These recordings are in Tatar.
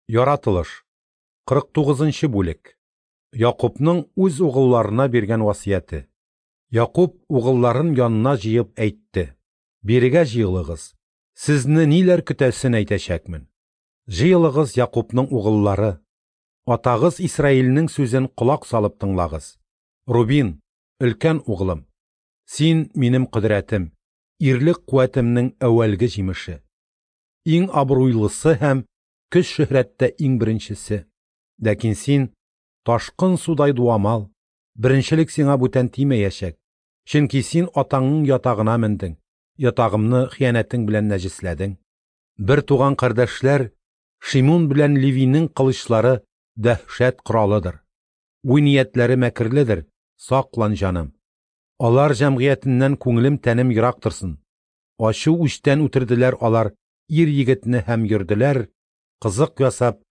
Яратылыш. 49 нчы бүлек. Якубның үз угылларына биргән васыяте. Якуб угылларын янына җыеп әйтте: Бирегә җыелыгыз, сезне ниләр көтәсен әйтәчәкмен. Җыелыгыз, Якубның угыллары, атагыз Исраилнең сүзен колак салып тыңлагыз. Рубин, өлкән углым, син минем кодрәтем, ирлек куәтемнең әүвәлге җимеше. Иң абруйлысы һәм көч-шөһрәттә иң беренчесе. Ләкин син ташкын судай дуамал, беренчелек сиңа бүтән тимәячәк, чөнки син атаңның ятагына мендең, ятагымны хыянәтең белән нәҗесләдең. Бер туган кардәшләр Шимун белән Левинең кылычлары дәһшәт коралыдыр. Уй-ниятләре мәкерледер, саклан, җаным. Алар җәмгыятеннән күңелем-тәнем ерак торсын. Ачу үчтән үтерделәр алар ир-егетне һәм йөрделәр, кызык ясап,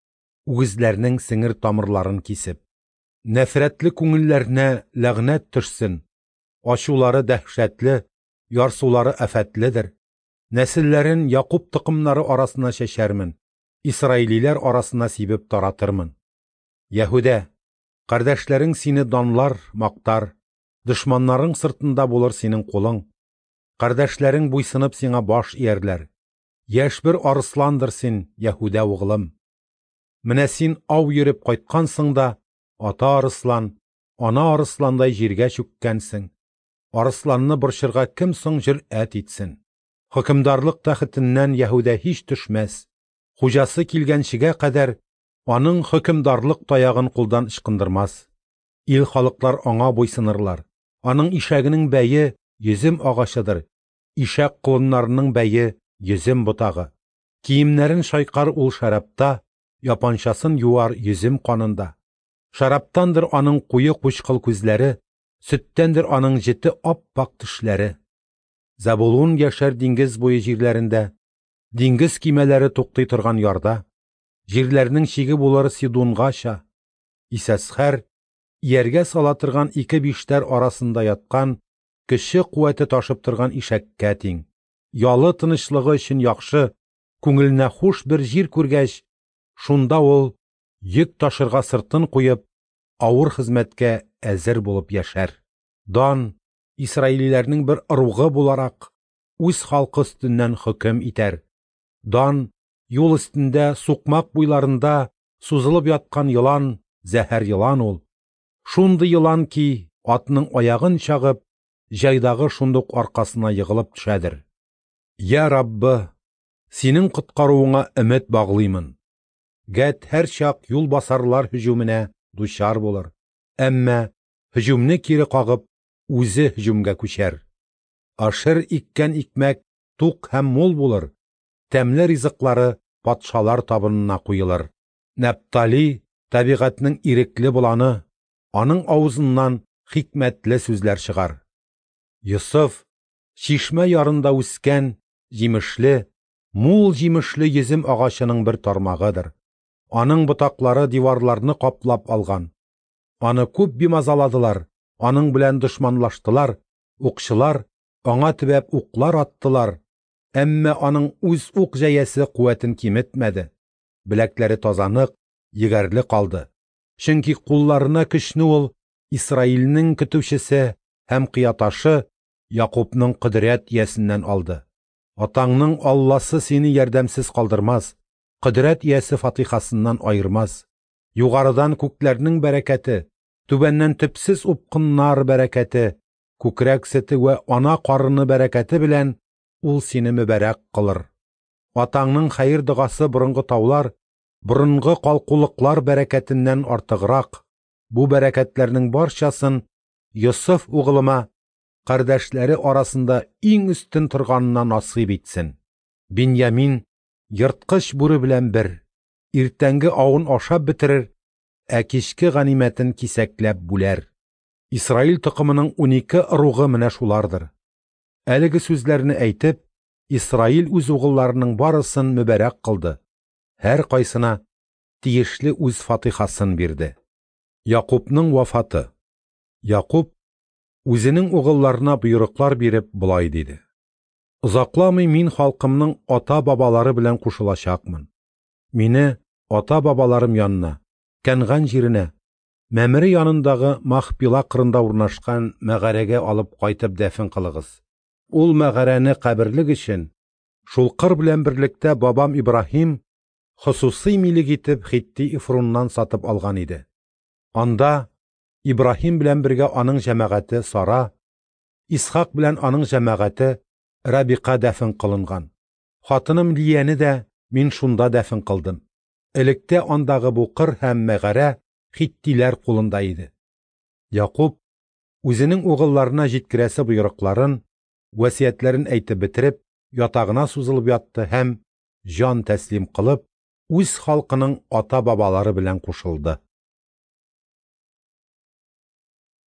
үгезләрнең сеңер тамырларын кисеп. Нәфрәтле күңелләренә ләгънәт төшсен, ачулары дәһшәтле, ярсулары афәтледер. Нәселләрен Якуб токымнары арасына чәчәрмен, исраилиләр арасына сибеп таратырмын. Яһүдә, кардәшләрең сине данлар, мактар, дошманнарың сыртында булыр синең кулың. Кардәшләрең буйсынып сиңа баш иярләр. Яшь бер арысландыр син, Яһүдә углым. Менә син ау йөреп кайткансың да, ата арыслан, ана арысландай җиргә чүккәнсең. Арысланны борчырга кем соң җөрьәт итсен? Хөкемдарлык тәхетеннән Яһүдә һич төшмәс. Хуҗасы килгәнчегә кадәр аның хөкемдарлык таягын кулдан ычкындырмас. Ил халыклар аңа буйсынырлар. Аның ишәгенең бәе йөзем агачыдыр, ишәк колыннарының бәе йөзем ботагы. Киемнәрен чайкар ул шәрабта, япанчасын юар йөзем канында. Шәрабтандыр аның куе кучкыл күзләре, сөттәндер аның җете ап-ак тешләре. Зәбулун яшәр диңгез буе җирләрендә, диңгез кимәләре туктый торган ярда, җирләрнең чиге булыр Сидунгача. Исәсхәр ияргә сала торган ике биштәр арасында яткан, көче куәте ташып торган ишәккә тиң. Ялы тынычлыгы өчен яхшы, күңеленә хуш бер җир күргәч, шунда ул йөк ташырга сыртын куеп, авыр хезмәткә әзер булып яшәр. Дан, исраилиләрнең бер ыругы буларак, үз халкы өстеннән хөкем итәр. Дан, юл өстендә, сукмак буйларында сузылып яткан елан, зәһәр елан ул. Шундый елан ки, атның аягын чагып, җайдагы шундук аркасына егылып төшәдер. Я Раббы, синең коткаруыңа өмет баглыймын. Гәт һәрчак юлбасарлар һөҗүменә дучар булыр. Әмма һөҗүмне кире кагып, үзе һөҗүмгә күчәр. Ашер иккән икмәк тук һәм мул булыр, тәмле ризыклары патшалар табынына куелыр. Нәптали табигатьнең ирекле боланы, аның авызыннан хикмәтле сүзләр чыгар. Йосыф чишмә ярында үскән җимешле, мул җимешле йөзем агачының бер тармагыдыр. Аның ботаклары диварларны каплап алган. Аны күп бимазаладылар, аның белән дошманлаштылар, укчылар аңа төбәп уклар аттылар, әмма аның үз ук җәясе куәтен киметмәде. Беләкләре тазанык, егәрле калды. Чөнки кулларына көчне ул Исраилнең көтүчесе һәм кыяташы Якубның кодрәт иясеннән алды. Атаңның Алласы сине ярдәмсез калдырмас, кодрәт иясе фатихасыннан аермас. Югарыдан күкләрнең бәрәкәте, түбәннән төпсез упкыннар бәрәкәте, күкрәк сөте вә ана карыны бәрәкәте белән ул сине мөбарәк кылыр. Атаңның хәер догасы борынгы таулар, борынгы калкулыклар бәрәкәтеннән артыграк. Бу бәрәкәтләрнең барчасын Йосыф угылыма кардәшләре арасында иң өстен торганына насыйп итсен. Биньямин ерткыч бүре белән бер, иртәнге авын ашап бетерер, ә кичке ганимәтен кисәкләп бүләр. Исраил токымының 12 ыругы менә шулардыр. Әлеге сүзләрне әйтеп, Исраил үз угылларының барысын мөбарәк кылды. Һәр кайсына тиешле үз фатихасын бирде. Якубның вафаты. Якуб үзенең угылларына боерыклар биреп болай диде: Озакламый мин халкымның ата-бабалары белән кушылачакмын. Мине ата-бабаларым янына, Кәнган җиренә, Мәмре янындагы Махпила кырында урнашкан мәгарәгә алып кайтып дәфен кылыгыз. Ул мәгарәне каберлек өчен шул кыр белән берлектә бабам Ибраһим хосусый милек итеп Хитти Эфруннан сатып алган иде. Анда Ибраһим белән бергә аның җәмәгате Сара, Исхак белән аның җәмәгате Рабика дәфен кылынган. Хатыным Лияне дә мин шунда дәфен кылдым. Электә андагы бу кыр һәм мәгарә хиттиләр кулында иде. Якуб үзенең угылларына җиткерәсе боерыкларын, васыятьләрен әйтеп бетереп, ятагына сузылып ятты һәм җан тәслим кылып, үз халкының ата-бабалары белән кушылды.